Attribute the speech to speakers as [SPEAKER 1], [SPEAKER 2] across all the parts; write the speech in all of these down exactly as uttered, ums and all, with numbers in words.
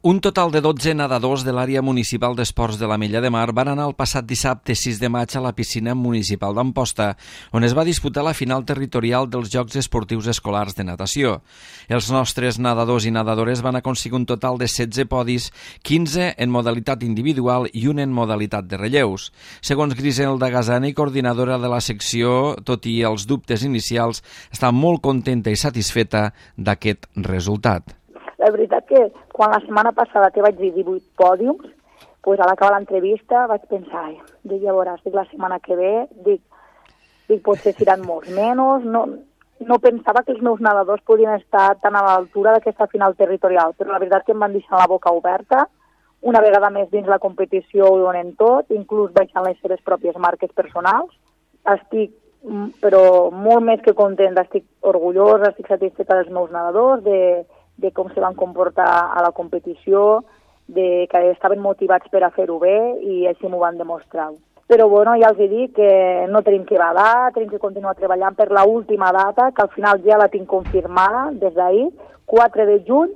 [SPEAKER 1] Un total de dotze nedadors de l'àrea municipal d'esports de l'Ametlla de Mar van anar el passat dissabte sis de maig a la piscina municipal d'Amposta, on es va disputar la final territorial dels Jocs Esportius Escolars de Natació. Els nostres nedadors i nedadores van aconseguir un total de setze podis, quinze en modalitat individual i un en modalitat de relleus. Segons Griselda Gasani, coordinadora de la secció, tot i els dubtes inicials, està molt contenta i satisfeta d'aquest resultat.
[SPEAKER 2] La veritat que quan la setmana passada te vaig dir divuit pòdiums, pues a l'acabar l'entrevista vaig pensar, ai, dic, ja veuràs, dic, la setmana que ve, dic, dic potser seran molts menys, no, no pensava que els meus nedadors podien estar tan a l'altura d'aquesta final territorial, però la veritat que em van deixar la boca oberta, una vegada més dins la competició ho donen tot, inclús baixant les seves pròpies marques personals. Estic, però molt més que content, estic orgullosa, estic satisfeta dels meus nedadors, de de com se van comportar a la competició, de que estaven motivats per a fer-ho bé i així m'ho van demostrar. Però bueno, ja els he dit que no tenim que badar, tenim que continuar treballant per la última data, que al final ja la tinc confirmada des d'ahir, quatre de juny,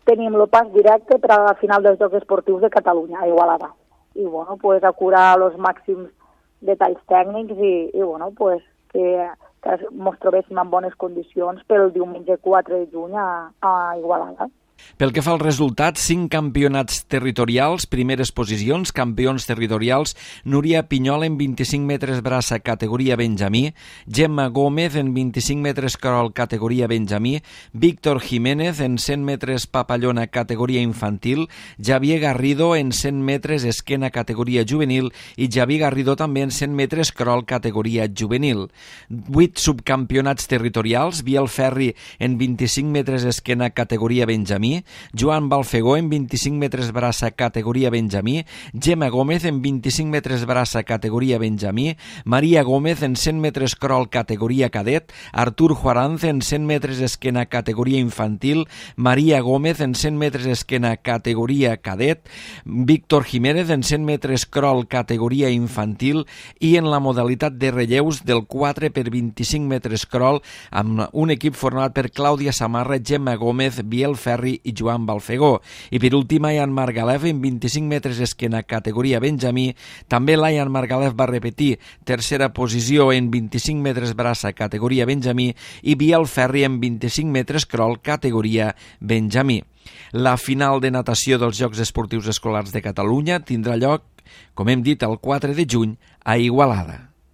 [SPEAKER 2] tenim el pas directe per a la final dels Jocs Esportius de Catalunya, a Igualada. I bueno, pues a curar els màxims detalls tècnics i, i bueno, pues que que ens trobéssim en bones condicions pel diumenge quatre de juny a, a Igualada.
[SPEAKER 1] Pel que fa al resultat, cinc campionats territorials, primeres posicions, campions territorials, Núria Pinyol en vint-i-cinc metres braça categoria Benjamí, Gemma Gómez en vint-i-cinc metres crawl categoria Benjamí, Víctor Jiménez en cent metres papallona categoria infantil, Javier Garrido en cent metres esquena categoria juvenil i Javier Garrido també en cent metres crawl categoria juvenil. Vuit subcampionats territorials, Biel Ferri en vint-i-cinc metres esquena categoria Benjamí, Joan Balfegó en vint-i-cinc metres braça categoria Benjamí, Gemma Gómez en vint-i-cinc metres braça categoria Benjamí, Maria Gómez en cent metres crawl categoria cadet, Artur Juaranz en cent metres esquena categoria infantil, Maria Gómez en cent metres esquena categoria cadet, Víctor Jiménez en cent metres crawl categoria infantil i en la modalitat de relleus del quatre per vint-i-cinc metres crawl amb un equip format per Clàudia Samarra, Gemma Gómez, Biel Ferri i Joan Balfegó. I per últim, Ian Margalef en vint-i-cinc metres esquena categoria Benjamí. També l'Ian Margalef va repetir tercera posició en vint-i-cinc metres braça categoria Benjamí i Biel Ferri en vint-i-cinc metres crawl categoria Benjamí. La final de natació dels Jocs Esportius Escolars de Catalunya tindrà lloc, com hem dit, el quatre de juny a Igualada.